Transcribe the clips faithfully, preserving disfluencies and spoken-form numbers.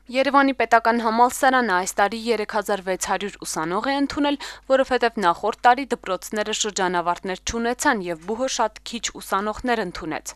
Երևանի պետական համալսարանը այս տարի երեք հազար վեց հարյուր ուսանող է ընդունել, որովհետև նախորդ տարի դպրոցները շրջանավարտներ չունեցան եւ բուհը շատ քիչ ուսանողներ ընդունեց։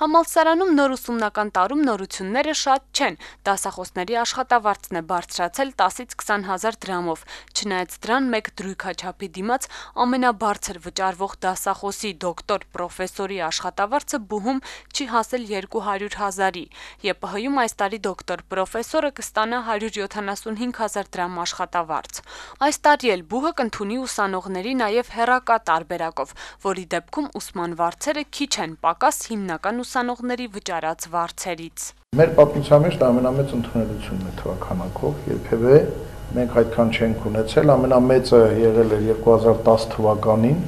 Համալսարանում նոր ուսումնական տարում նորությունները շատ չեն, դասախոսների աշխատավարձն է բարձրացել տասից քսան հազար դրամով, չնայած դրան մեկ դրույքաչափի դիմաց ամենաբարձր վճարվող դասախոսի դոկտոր պրոֆեսորի աշխատավարձը բուհում չի հասել երկու հարյուր հազարի, ԵՊՀ-ում այս տարի դոկտոր պրոֆեսորը կստանա հարյուր յոթանասունհինգ հազար դրամ աշխատավարձ։ Այս տարի էլ բուհը կընդունի ուսանողների նաև հեռակա տարբերակով, որի դեպքում ուսման վարձերը քիչ են պակաս հիմնական ուսանողների վճարած վարձերից։ Մեր պատմության մեջ դա ամենամեծ ընդունելությունն է թվականակով, երբևէ մենք այդքան չենք ունեցել, ամենամեծը եղել էր երկու հազար տասը թվականին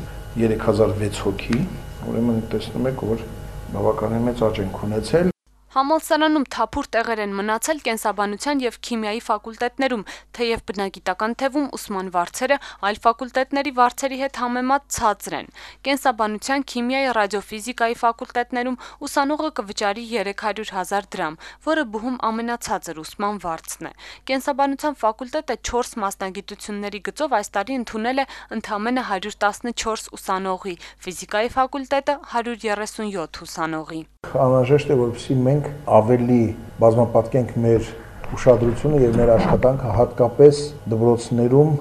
երեք հազար վեց հոգի, ուրեմն տեսնում եք, որ բավականին մեծ աճ ենք ունեցել։ Համալսարանում թափուր տեղեր են մնացել կենսաբանության եւ քիմիայի ֆակուլտետներում, թեև բնագիտական թևում ուսման վարձերը այլ ֆակուլտետների վարձերի հետ համեմատ ցածր են։ Կենսաբանության, քիմիայի, ռադիոֆիզիկայի ֆակուլտետներում ուսանողը կվճարի երեք հարյուր հազար դրամ, որը բուհում ամենացածր ուսման վարձն է։ Կենսաբանության ֆակուլտետը չորս մասնագիտությունների գծով այս տարի ընդունել է ընդամենը հարյուր տասնչորս ուսանողի, ֆիզիկայի ֆակուլտետը հարյուր երեսունյոթ ուսանողի։ Անհրաժեշտ է, որպեսզի մենք ավելի բազմապատկենք մեր ուշադրությունը եւ մեր աշխատանքը հատկապես դպրոցներում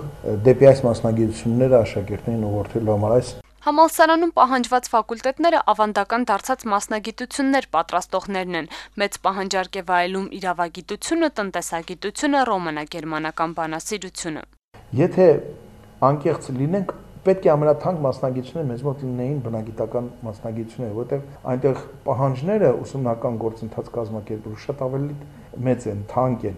դեպի այս մասնագիտությունները աշակերտներին ուղղորդելու համար։ Այս Համալսարանում պահանջված ֆակուլտետները ավանդական դարձած մասնագիտություններ պատրաստողներն են։ Մեծ պահանջարկ է վայելում իրավագիտությունը, տնտեսագիտությունը, ռոմանա-գերմանական բանասիրությունը։ Եթե անկեղծ լինենք, պետք է ամենաթանկ մասնագիտությունները մեզ մոտ լինեին բնագիտական մասնագիտությունները, որտեղ այնտեղ պահանջները ուսումնական գործընթաց կազմակերպելու շատ ավելի մեծ են, թանկ են,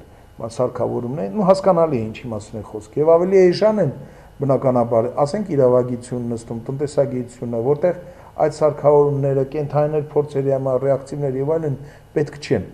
սարքավորումներ, ու հասկանալի է ինչի մասին է խոսքը, եւ ավելի էժան են բնականաբար, ասենք իրավագիտություն նստում, տնտեսագիտությունը, որտեղ այդ սարքավորումները, կենթանիներ փորձերի համար, ռեակտիվներ եւ այլն պետք չեն,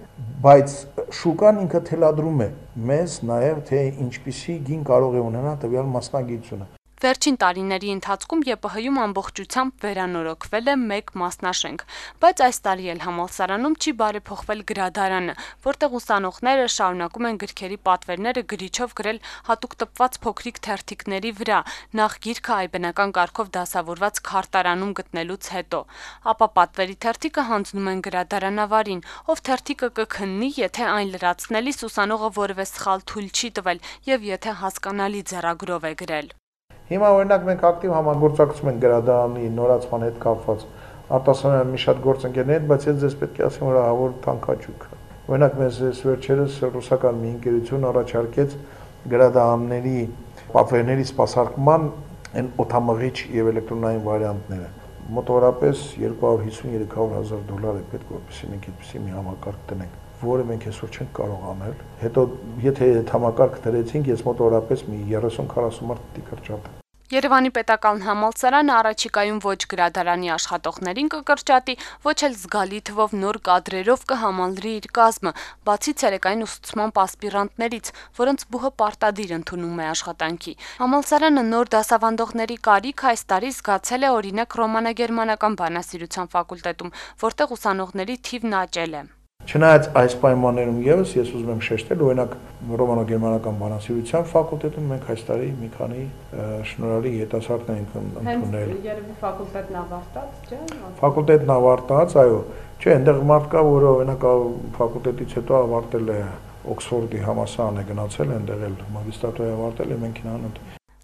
բայց շուկան ինքը թելադրում է մեզ նաեւ թե ինչպիսի գին կարող է ունենալ տվյալ մասնագիտությունը։ Վերջին տարիների ընթացքում ԵՊՀ-ում ամբողջությամբ վերանորոգվել է մեկ մասնաշենք, բայց այս տարի էլ համալսարանում չի բարեփոխվել գրադարանը, որտեղ ուսանողները շարունակում են գրքերի պատվերները գրիչով գրել հատուկ տպված փոքրիկ թերթիկների վրա, նախ գիրքը այբնական կարգով դասավորված քարտարանում գտնելուց հետո, ապա պատվերի թերթիկը հանձնում են գրադարանավարին, ով թերթիկը կքննի, եթե այն լրացնելիս ուսանողը որևէ սխալ թույլ չի տվել եւ եթե հասկանալի ձեռագրով է գրել։ Հիմա օրինակ մենք ակտիվ համագործակցում ենք գրադարանի նորացման հետ կապված արտասանության մի շատ գործընկերների հետ, բայց ես ձեզ պետք է ասեմ, որ ահավոր թանկաճուկ է։ Օրինակ մեզ վերջերս ռուսական մի ընկերություն առաջարկեց գրադարանների պատվերների սպասարկման այն օդամղիչ եւ էլեկտրոնային վարիանտները։ Մոտավորապես երկու հարյուր հիսուն երեք հարյուր հազար դոլար է պետք, որպեսզի մենք այդպիսի մի համակարգ տնենք, որը մենք այսօր չենք կարող անել։ Հետո եթե այդ համակարգ դրեցինք, ես մոտավորապես մի երեսուն քառասուն մարդ պիտի կրճատեմ։ Երևանի պետական համալսարանը առաջիկայում ոչ գրադարանի աշխատողներին կկրճատի, ոչ էլ զգալի թվով նոր կադրերով կհամալրի իր կազմը, բացի ցերեկային ուսուցման ասպիրանտներից, որոնց բուհը պարտադիր ընդունում է աշխատանքի։ Համալսարանը նոր դասավանդողների կարիք այս տարի զգացել է օրինակ ռոմանա-գերմանական բանասիրության ֆակուլտետում, որտեղ ուսանողների թիվն աճել է։ Չնայած այս պայմաններում եւս ես ուզում եմ շեշտել, օրինակ ռոմանո-գերմանական բանասիրության ֆակուլտետում մենք այս տարի մի քանի շնորհալի երիտասարդներ ենք ընդունել։ Երևի ֆակուլտետն ավարտած, չէ՞։ Ֆակուլտետն ավարտած, այո, չէ, այնտեղ մարդ կա, որը օրինակ ֆակուլտետից հետո ավարտել է Օքսֆորդի համալսարան է գնացել, այնտեղ էլ մագիստրատուրա ավարտել է, մենք նրան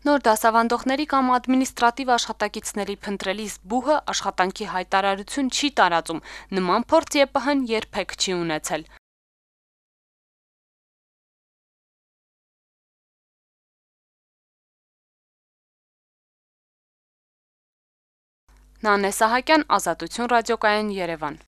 Նոր դասավանդողների կամ ադմինիստրատիվ աշխատակիցների փնտրելիս բուհը աշխատանքի հայտարարություն չի տարածում, նման փորձ ԵՊՀ-ն երբեք չի ունեցել։ Նանե Սահակյան, Ազատություն ռադիոկայան, Երևան։